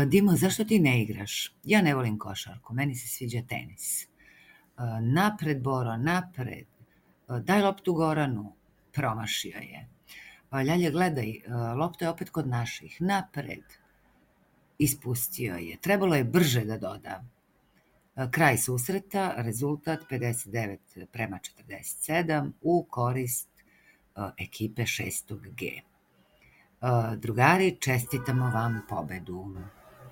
Dimo, zašto ti ne igraš? Ja ne volim košarku, meni se sviđa tenis. Napred, Boro, napred. Daj loptu Goranu. Promašio je. Ljalje, gledaj, lopta je opet kod naših. Napred. Ispustio je. Trebalo je brže da doda. Kraj susreta, rezultat 59-47 u korist ekipe 6. G. Drugari, čestitamo vam pobedu.